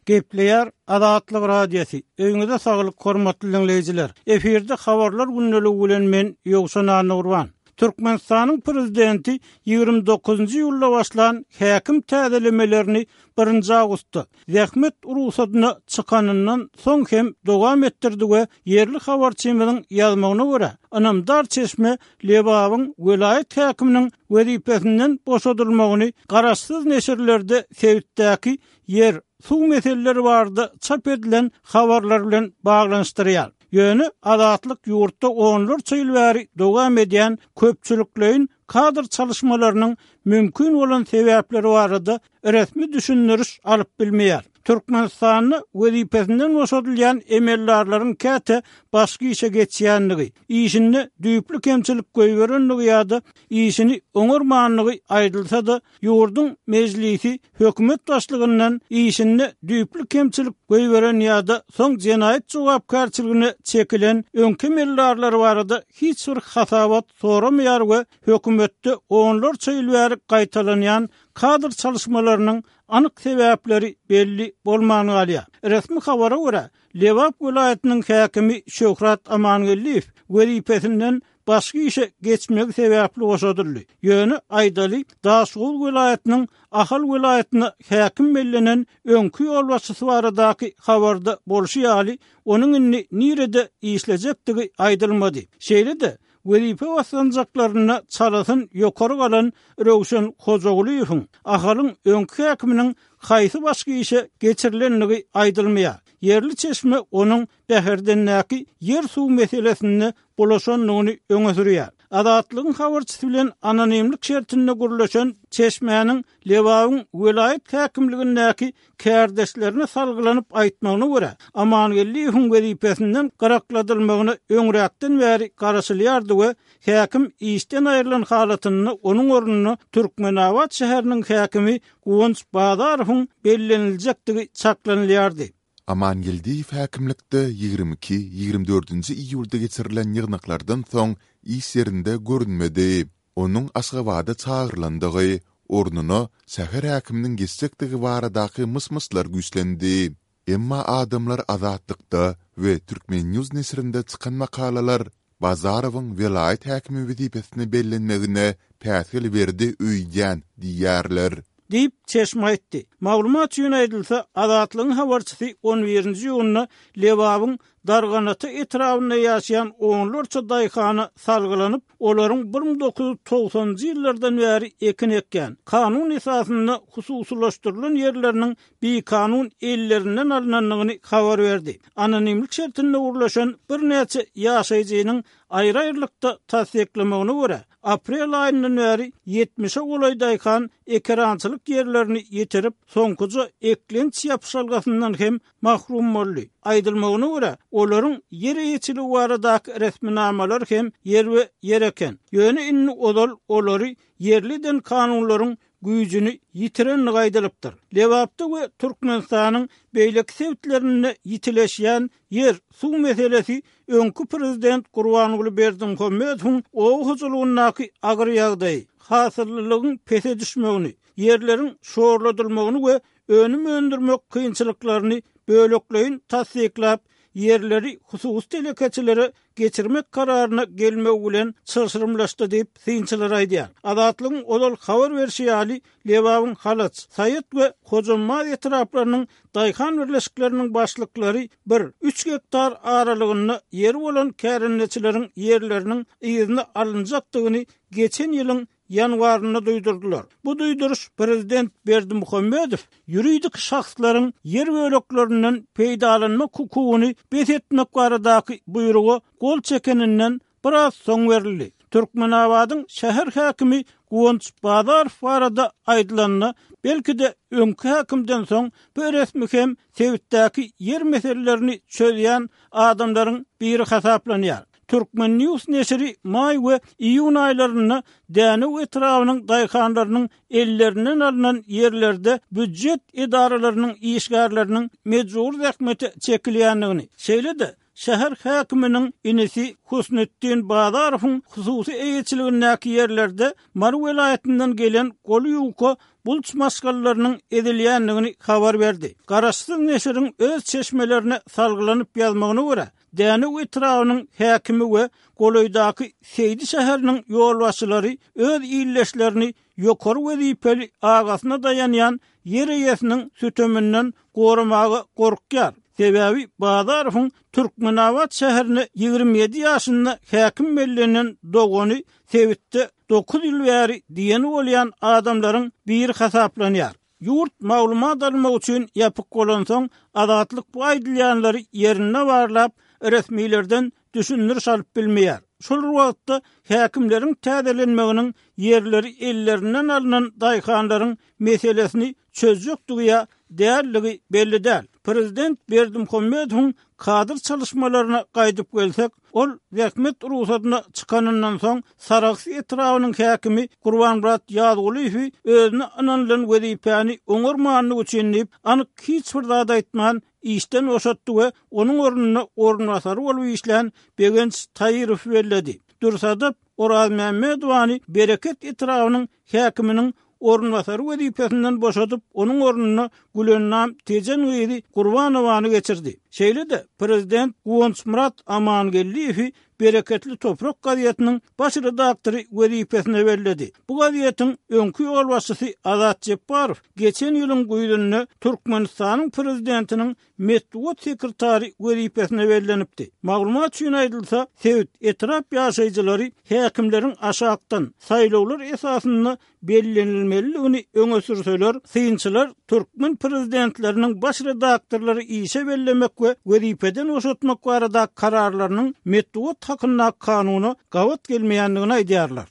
Gepleýär Azatlyk Radiosy, Öýüňize saglyk hormatly diňleýjiler! Efirde Habarlar gündeligi bilen men Ýowşan Annagurban. Türkmenistanyň Prezidenti 29-njy iýulda başlan häkim täzelemelerini birinji awgustda, zähmet rugsadyna çykanyndan soň hem dowam etdirdi we ýerli habarçymyzyň ýazmagyna görä, ynamdar çeşme Lebabyň welaýat häkiminiň wezipesinden boşadylmagyny garaşsyz neşirlerde sebitdäki ýer, suw meseleleri barada çap edilen habarlar bilen baglanyşdyrýar. Ýöne Azatlyk ýurtda onlarça ýyl bäri dowam edýän köpçülikleýin kadr çalyşmalarynyň mümkin bolan sebäpleri barada resmi düşündiriş alyp bilmeýär. Türkmenistanda wezipesinden boşadylýan emeldarlaryň käte başga işe geçýändigi, işinde düýpli kemçilik goýberendigi ýa-da işini oňarmandygy aýdylsa-da, ýurduň Mejlisi hökümet başlygyndan işinde düýpli kemçilik goýberen ýa-da soň jenaýat jogapkärçiligine çekilen öňki emeldarlar barada hiç bir hasabat soramaýar we hökümetde onlarça ýyl bäri gaýtalanýan kadr çalyşmalarynyň anyk sebäpleri belli bolman galýar. Resmi habara görä, Lebap welaýatynyň häkimi Şöhrat Amangeldiýew wezipesinden başga işe geçmegi sebäpli boşadyldy. Ýöne, aýdaly, Daşoguz welaýatynyň Ahal welaýatyna häkim bellenen öňki ýolbaşçysy baradaky habarda bolşy ýaly, onuň indi nirede işlejekdigi aýdylmady. Şeýle-de, Wezipe basgançaklarynda çalasyn ýokary galan Röwşen Hojagulyýewiň Ahalyň öňki häkiminiň haýsy başga işe geçirilendigi aýdylmaýar. Ýerli çeşme onuň Bäherdendäki ýer-suw meselesinde bulaşandygyny öňe sürýär. Azatlygyň habarçysy bilen anonimlik şertinde gürleşen çeşmäniň Lebabyň welaýat häkimligindäki kärdeşlerine salgylanyp aýtmagyna görä, Amangeldiýewiň wezipesinden gyrakladylmagyna öňräkden bäri garaşylýardy we häkim işden aýrylan halatynda onuň ornuna Türkmenabat şäheriniň häkimi Guwanç Bazarowyň belleniljekdigi çaklanylýardy. Amangeldiýew häkimlikde 22, 24-nji iýulda geçirilen ýygnaklardan soň iş ýerinde görünmedi. Onuň Aşgabada çagyrylandygy, ornuna şäher häkiminiň geçjekdigi baradaky myş-myşlar güýçlendi. Emma adamlar Azatlykda we Turkmen. News neşirinde çykan makalalar Bazarowyň welaýat häkimi wezipesine bellenmegine päsgel berdi öýdýän diýýärler. Diýip, çeşme aýtdy. Maglumat üçin aýdylsa, Azatlygyň habarçysy on birinji iýunda Lebabyň Darganata etrabynda ýaşaýan onlarça daýhana salgylanyp, olaryň 1990-njy ýyllardan bäri ekin ekýän, kanun esasynda hususylaşdyrylan ýerleriniň bikanun ellerinden alnandygyny habar berdi. Anonimlik şertinde gürleşen birnäçe ýaşaýjynyň aýry-aýrylykda tassyklamagyna görä, aprel aýyndan bäri ýetmişe golaý daýhan ekerançylyk ýerlerini ýitirip, soňkuja eklenç ýapyşalgasyndan hem mahrum boldy. Aýdylmagyna görä, olaryň ýer eýeçiligi baradaky resminamalar hem ýerbe-ýer eken. Ýöne indi ozal olary ýerli eden kanunlaryň güýjüni ýitirendigi aýdylypdyr. Lebapda we Türkmenistanyň beýleki sebitlerinde ýitileşýän ýer, suw meselesi öňki prezident Gurbanguly Berdimuhamedowyň oba hojalygyndaky agyr ýagdaýy, hasyllylygyň pese düşmegini, ýerleriň şorladylmagyny we önüm öndürmek kynçylyklaryny bölekleýin tassyklap, ýerleri hususy telekeçilere geçirmek kararyna gelmegi bilen çylşyrymlaşdy diýip, synçylar aýdýar. Azatlygyň ozal habar berşi ýaly, Lebabyň Halaç, Saýat we Hojambaz etraplarynyň daýhan birleşikleriniň başlyklary bir, üç gektar aralygynda ýeri bolan kärendeçileriň ýerleriniň yzyna alynjakdygyny geçen ýylyň ýanwarynda duýdurdylar. Bu duýduryş prezident Berdimuhamedow ýuridik şahslaryň ýer böleklerinden peýdalanmak hukugyny bes etmek baradaky buýruga gol çekeninden biraz soň berildi. Türkmenabadyň şäher häkimi Guwanç Bazarow barada aýdylanda, belki-de öňki häkimden soň bu resmi hem sebitdäki ýer meselelerini çözýän adamlaryň biri hasaplanýar. Turkmen. News neşiri maý we iýun aýlarynda Dänew etrabynyň daýhanlarynyň ellerinden alnan ýerlerde býujet edaralarynyň işgärleriniň mejbury zähmete çekilýändigini, şeýle-de, şäher häkiminiň inisi Husnetdin Bazarowyň hususy eýeçiligindäki ýerlerde Mary welaýatyndan gelen goly ýuka bulç maşgalalarynyň ezilýändigini habar berdi. Garaşsyz neşiriň öz çeşmelerine salgylanyp ýazmagyna görä, Dänew etrabynyň häkimi we golaýdaky Seýdi şäheriniň ýolbaşçylary öz ildeşlerini ýokary wezipeli agasyna daýanýan ýer eýesiniň süteminden goramaga gorkýar. Sebäbi Bazarowyň Türkmenabat şäherine 27 ýaşynda häkim bellenen dogany sebitde dokuz ýyl bäri diýeni bolýan adamlaryň biri hasaplanýar. Ýurt maglumat almak üçin ýapyk bolansoň, Azatlyk bu aýdylýanlary ýerinde barlap, resmilerden düşündiriş alyp bilmeýär. Şol bir wagtda, häkimleriň täzelenmeginiň ýerleri ellerinden alnan daýhanlaryň meselesini çözjekdigi ýa däldigi belli däl. Prezident Berdimuhamedowyň kadr çalyşmalaryna gaýdyp gelsek, ol zähmet rugsadyna çykanyndan soň Sarahs etrabynyň häkimi Gurbanmyrat Ýazgulyýewi özüne ynanylan wezipäni oňarmanlygy üçin diýip, anyk hiç bir zat aýtman, işden boşatdy we onuň ornuna orunbasary bolup işlän Begenç Taýyrowy belledi. Dürsadap Orazmämmedowany Bereket etrabynyň häkiminiň orunbasary wezipesinden boşadyp, onuň ornuna Gülennam Tejen gyzy Gurbanowany geçirdi. Şeýle-de, prezident Guwançmyrat Amangeldiýewi Bereketli toprak gazetiniň baş redaktory wezipesine belledi. Bu gazetiň öňki ýolbaşçysy Azat Jepbarow geçen ýylyň güýzünde Türkmenistanyň prezidentiniň metbugat sekretary wezipesine bellenipdi. Maglumat üçin aýdylsa, sebit, etrap ýaşaýjylary häkimleriň aşakdan, saýlawlar esasynda bellenilmelidigini öňe sürseler, synçylar türkmen prezidentleriniň baş redaktorlary işe bellemek we wezipeden boşatmak baradaky kararlarynyň metbugat hakyndaky kanuna gabat gelmeýändigini aýdýarlar.